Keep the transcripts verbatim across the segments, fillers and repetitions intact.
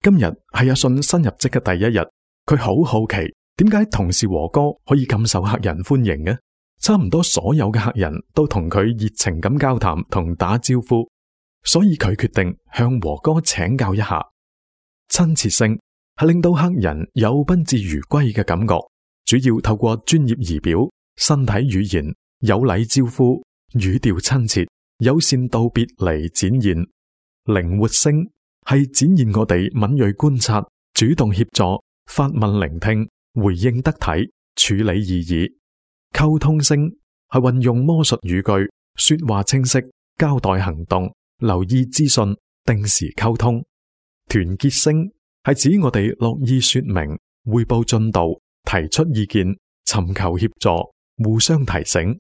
今日係阿信新入職嘅第一日，佢好好奇點解同事和哥可以咁受客人歡迎嘅？差唔多所有嘅客人都同佢熱情咁交談同打招呼，所以佢決定向和哥請教一下。親切性係令到客人有賓至如歸嘅感覺，主要透過專業儀表、身體語言、有禮招呼、語調親切、友善道別嚟展現。靈活性係展現我哋敏銳觀察、主動協助、發問聆聽、回應得體、處理異議。溝通性係運用魔術語句，說話清晰，交代行動，留意資訊，定時溝通。團結性係指我哋樂意說明、匯報進度、提出意見、尋求協助、互相提醒。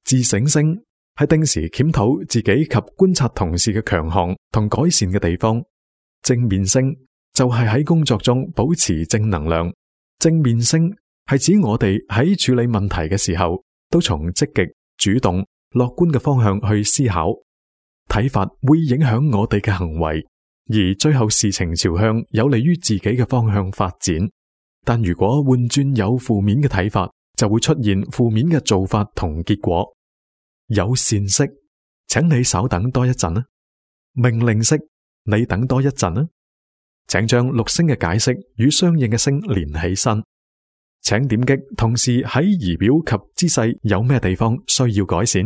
自省性係定時檢討自己及觀察同事嘅強項同改善嘅地方。正面性就係喺工作中保持正能量。正面性係指我哋喺處理問題嘅時候，都從積極、主動、樂觀嘅方向去思考。睇法會影響我哋嘅行為，而最後事情朝向有利於自己嘅方向發展。但如果換轉有負面嘅睇法，就會出現負面嘅做法同結果。有善式，請你稍等多一陣啊。命令式，你等多一陣啊。請將六聲嘅解釋與相應嘅聲連起身。請點擊同時喺儀表及姿勢有咩地方需要改善。